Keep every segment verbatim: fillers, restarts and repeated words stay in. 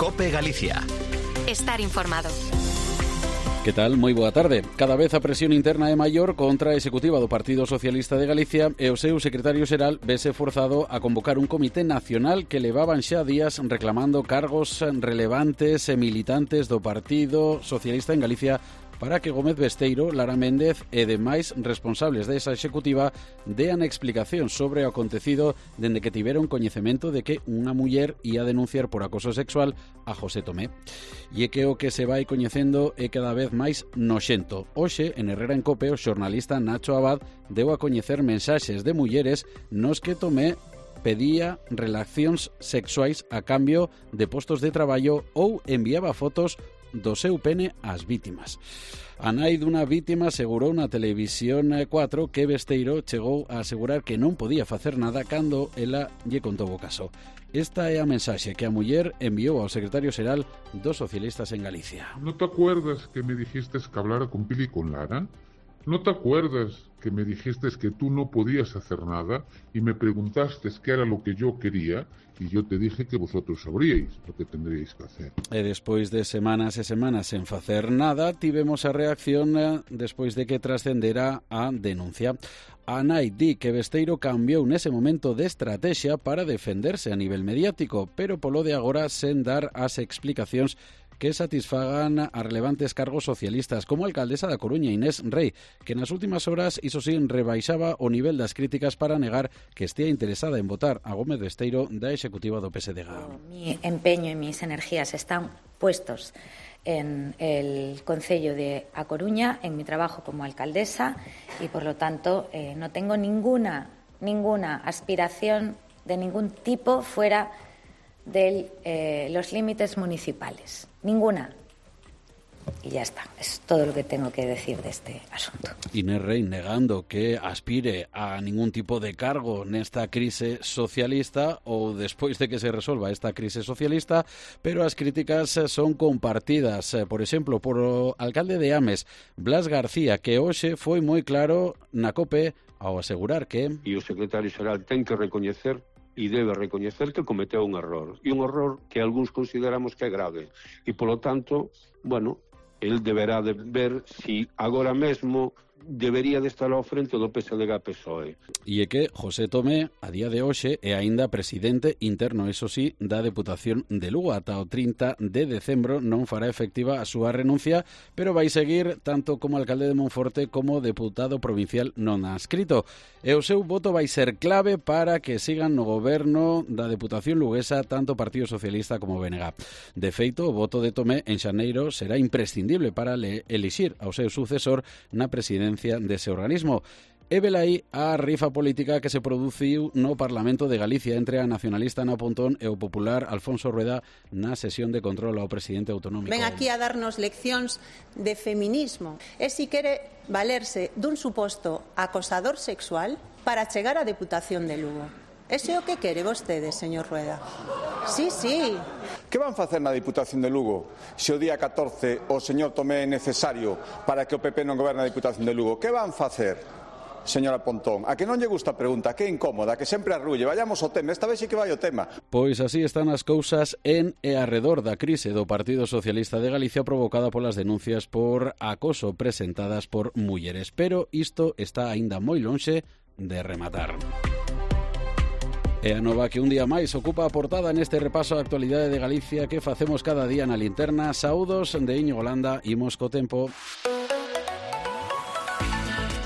COPE Galicia. Estar informado. Que tal? Moi boa tarde. Cada vez a presión interna é maior contra a executiva do Partido Socialista de Galicia e o seu secretario xeral vese forzado a convocar un comité nacional que levaban xa días reclamando cargos relevantes e militantes do Partido Socialista en Galicia para que Gómez Besteiro, Lara Méndez e demais responsables desa executiva dean explicación sobre o acontecido dende que tiveron coñecemento de que unha muller ia denunciar por acoso sexual a José Tomé. E é que o que se vai coñecendo é cada vez máis noxento. Hoxe, en Herrera en Cope, o xornalista Nacho Abad deu a coñecer mensaxes de mulleres nos que Tomé pedía relacións sexuais a cambio de postos de traballo ou enviaba fotos do seu pene ás vítimas. A nai dunha vítima asegurou na Televisión cuatro que Besteiro chegou a asegurar que non podía facer nada cando ela lle contou o caso. Esta é a mensaxe que a muller enviou ao secretario xeral dos socialistas en Galicia. ¿No te acuerdas que me dijiste que hablara con Pili y con Lara? ¿No te acuerdas que me dijiste que tú no podías hacer nada y me preguntaste qué era lo que yo quería y yo te dije que vosotros sabríais lo que tendríais que hacer? E despois de semanas e semanas sen facer nada, tivemos a reacción despois de que trascendera a denuncia. A nai di que Besteiro cambiou nese momento de estrategia para defenderse a nivel mediático, pero polo de agora sen dar as explicacións que satisfagan a relevantes cargos socialistas, como a alcaldesa da Coruña, Inés Rei, que nas últimas horas, iso sí, rebaixaba o nivel das críticas para negar que estea interesada en votar a Gómez Besteiro da executiva do P S D G. Mi empeño y mis energías están puestos en el Concello de A Coruña, en mi trabajo como alcaldesa, y por lo tanto eh, no tengo ninguna, ninguna aspiración de ningún tipo fuera de eh, los límites municipales. Ninguna. Y ya está. Es todo lo que tengo que decir de este asunto. Inés Rei negando que aspire a ningún tipo de cargo nesta crise socialista ou despois de que se resolva esta crise socialista, pero as críticas son compartidas, por exemplo, por o alcalde de Ames, Blas García, que hoxe foi moi claro na COPE ao asegurar que... E o secretario xeral ten que recoñecer e debe recoñecer que cometeu un error, e un error que algúns consideramos que é grave, e polo tanto, bueno, el deberá de ver si agora mesmo debería de estar ao frente do P S D G P S O E. E é que José Tomé, a día de hoxe, é aínda presidente interno, eso sí, da Deputación de Lugo. Ata o trinta de decembro non fará efectiva a súa renuncia, pero vai seguir tanto como alcalde de Monforte como deputado provincial non adscrito. E o seu voto vai ser clave para que sigan no goberno da Deputación luguesa tanto Partido Socialista como B N G. De feito, o voto de Tomé en xaneiro será imprescindible para elixir ao seu sucesor na presidencia dese organismo. E velaí a rifa política que se produciu no Parlamento de Galicia entre a nacionalista Ana Pontón e o popular Alfonso Rueda na sesión de control ao presidente autonómico. Ven aquí a darnos leccións de feminismo. E si quere valerse dun suposto acosador sexual para chegar á Deputación de Lugo. Ese é o que quere vostede, señor Rueda? Sí, sí. Que van facer na Diputación de Lugo se o día catorce o señor Tomé é necesario para que o P P non goberne a Diputación de Lugo? Que van facer, señora Pontón? A que non lle gusta a pregunta, que é incómoda, que sempre arrulle. Vayamos ao tema, esta vez sí que vai o tema. Pois así están as cousas en e arredor da crise do Partido Socialista de Galicia provocada polas denuncias por acoso presentadas por mulleres. Pero isto está aínda moi lonxe de rematar. E a nova que un día máis ocupa a portada neste repaso á actualidade de Galicia que facemos cada día na linterna. Saúdos de Íñigo Landa, imos co tempo.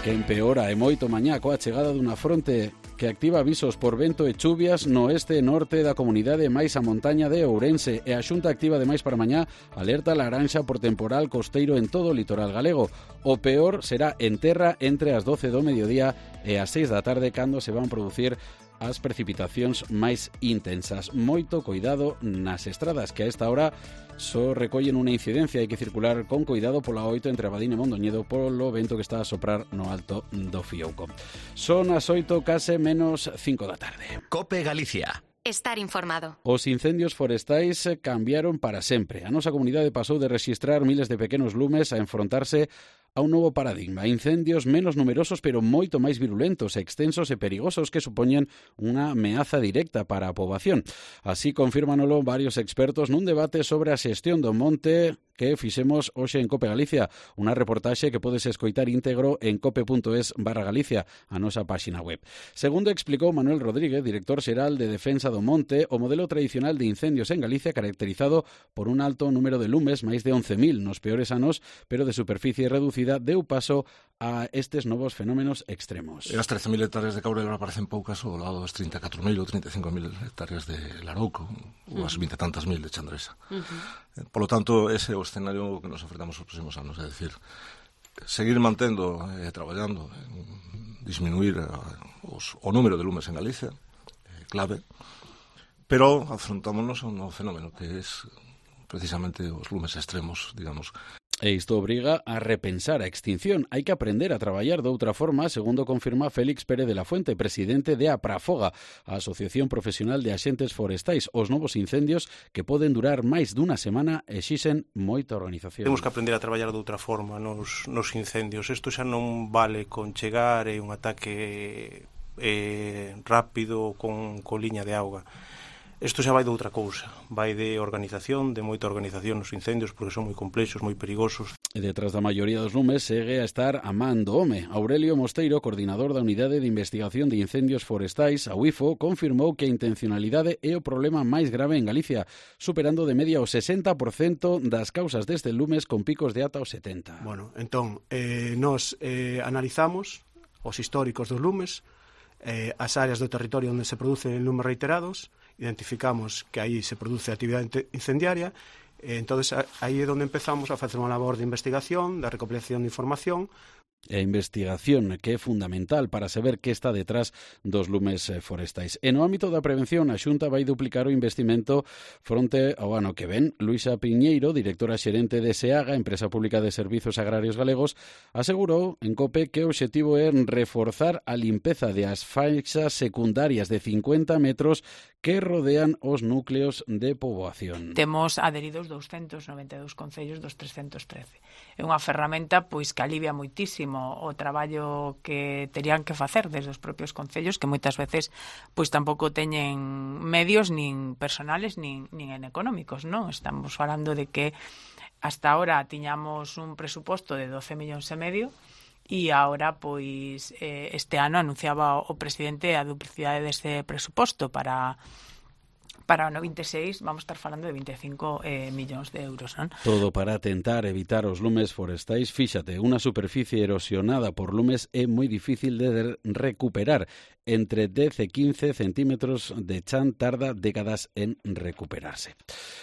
Que empeora e moito mañá coa chegada dunha fronte que activa avisos por vento e chuvias no oeste e norte da comunidade máis a montaña de Ourense, e a Xunta activa ademais para mañá alerta laranxa por temporal costeiro en todo o litoral galego. O peor será en terra entre as doce do mediodía e as seis da tarde, cando se van producir as precipitacións máis intensas. Moito coidado nas estradas, que a esta hora só recollen unha incidencia. Hai que circular con coidado pola oito entre Abadín e Mondoñedo polo vento que está a soprar no alto do Fiouco. Son as oito case menos cinco da tarde. COPE Galicia. Estar informado. Os incendios forestais cambiaron para sempre. A nosa comunidade pasou de rexistrar miles de pequenos lumes a enfrontarse a un novo paradigma, incendios menos numerosos pero moito máis virulentos, extensos e perigosos que supoñen unha ameaza directa para a poboación. Así confírmanolo varios expertos nun debate sobre a xestión do monte que fixemos hoxe en Cope Galicia, unha reportaxe que podes escoitar íntegro en cope.es barra Galicia, a nosa páxina web. Segundo explicou Manuel Rodríguez, director xeral de Defensa do Monte, o modelo tradicional de incendios en Galicia caracterizado por un alto número de lumes, máis de once mil nos peores anos, pero de superficie reducida, deu paso a estes novos fenómenos extremos. E as trece mil hectáreas de Caurel ahora parecen poucas ao lado das trinta e catro mil ou trinta e cinco mil hectáreas de Larouco, ou as vinte e tantas mil de Chandresa. Uh-huh. Por lo tanto, ese é o escenario que nos ofertamos os próximos anos, é dicir, seguir mantendo e eh, traballando en disminuir a, os, o número de lumes en Galicia, eh, clave, pero afrontámonos a un novo fenómeno que é precisamente os lumes extremos, digamos. E isto obriga a repensar a extinción. Hai que aprender a traballar de outra forma, segundo confirma Félix Pérez de la Fuente, presidente de APRAFOGA, a Asociación Profesional de Axentes Forestais. Os novos incendios, que poden durar máis dunha semana, exixen moita organización. Temos que aprender a traballar de outra forma nos, nos incendios. Isto xa non vale con chegar e un ataque eh, rápido con, con liña de auga. Isto xa vai de outra cousa, vai de organización, de moita organización nos incendios, porque son moi complexos, moi perigosos. E detrás da maioría dos lumes segue a estar a man do home. Aurelio Mosteiro, coordinador da Unidade de Investigación de Incendios Forestais, a U I F O, confirmou que a intencionalidade é o problema máis grave en Galicia, superando de media o sesenta por cento das causas destes lumes con picos de ata o setenta por cento. Bueno, entón, eh, nos eh, analizamos os históricos dos lumes, eh, as áreas do territorio onde se producen lumes reiterados, identificamos que aí se produce actividade incendiaria, e entonces aí é onde empezamos a facer unha labor de investigación, de recopilación de información. E a investigación, que é fundamental para saber que está detrás dos lumes forestais. E no ámbito da prevención, a Xunta vai duplicar o investimento fronte ao ano que ven. Luisa Piñeiro, directora xerente de SEAGA, Empresa Pública de Servizos Agrarios Galegos, asegurou en COPE que o obxectivo é reforzar a limpeza de as faixas secundarias de cincuenta metros que rodean os núcleos de poboación. Temos adheridos doscentos noventa e dous concellos dos trescentos trece. É unha ferramenta pois que alivia moitísimo o traballo que terían que facer desde os propios concellos, que moitas veces pois tampouco teñen medios nin personales nin, nin en económicos, non? Estamos falando de que hasta ahora tiñamos un presuposto de doce millóns e medio e agora, pois, eh, este ano anunciaba o presidente a duplicidade deste presuposto para para o ano vinte e seis vamos estar falando de vinte e cinco eh, millóns de euros, non? Todo para tentar evitar os lumes forestais. Fíxate, unha superficie erosionada por lumes é moi difícil de recuperar. Entre dez e quince centímetros de chan tarda décadas en recuperarse.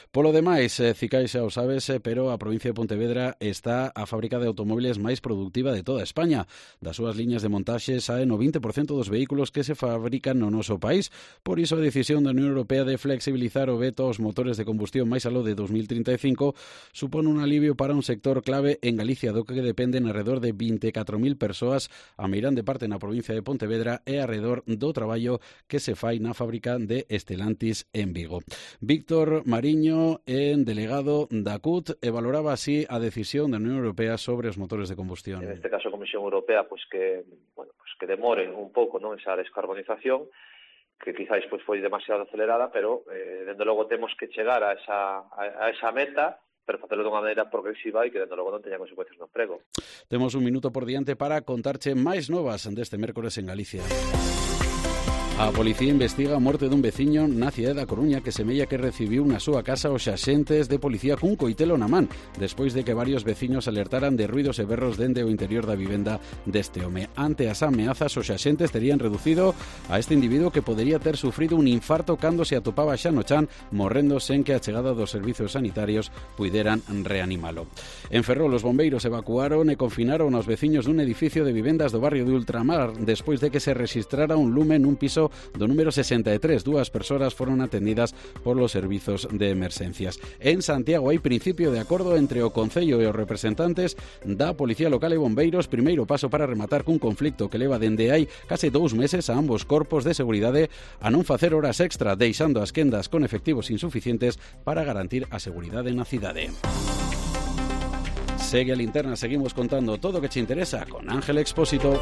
Polo demais, Cicai xa o sabes, pero a provincia de Pontevedra está a fábrica de automóviles máis productiva de toda España. Das súas liñas de montaxe saen o vinte por cento dos vehículos que se fabrican no noso país. Por iso a decisión da Unión Europea de flexibilizar o veto aos motores de combustión máis aló de dos mil trinta e cinco supón un alivio para un sector clave en Galicia, do que dependen alrededor de vinte e catro mil persoas, a meirande parte na provincia de Pontevedra e alrededor do traballo que se fai na fábrica de Estelantis en Vigo. Víctor Mariño, en delegado da C U T, e valoraba así a decisión da Unión Europea sobre os motores de combustión. En este caso a Comisión Europea, pues que, bueno, pues que demore un pouco, non, esa descarbonización, que quizáis pues foi demasiado acelerada, pero eh, dende logo temos que chegar a esa, a, a esa meta, pero facelo dunha maneira progresiva e que dende logo non teña consecuencias no emprego. Temos un minuto por diante para contarche máis novas deste mércores en Galicia. A policía investiga a morte dun veciño na cidade da Coruña que semella que recibiu na súa casa os axentes de policía cun coitelo na man, despois de que varios veciños alertaran de ruidos e berros dende o interior da vivenda deste home. Ante as ameazas, os axentes terían reducido a este individuo que podería ter sufrido un infarto cando se atopaba xa no chan, morrendo sen que a chegada dos servizos sanitarios puideran reanimalo. En Ferrol, os bombeiros evacuaron e confinaron aos veciños dun edificio de vivendas do barrio de Ultramar despois de que se registrara un lume nun piso do número sesenta e tres. Dúas persoas foron atendidas por los servizos de emerxencias. En Santiago hai principio de acordo entre o Concello e os representantes da Policía Local e Bombeiros, primeiro paso para rematar cun conflicto que leva dende hai case dous meses a ambos corpos de seguridade a non facer horas extra, deixando as quendas con efectivos insuficientes para garantir a seguridade na cidade. Segue a Linterna, seguimos contando todo o que che interesa con Ángel Expósito.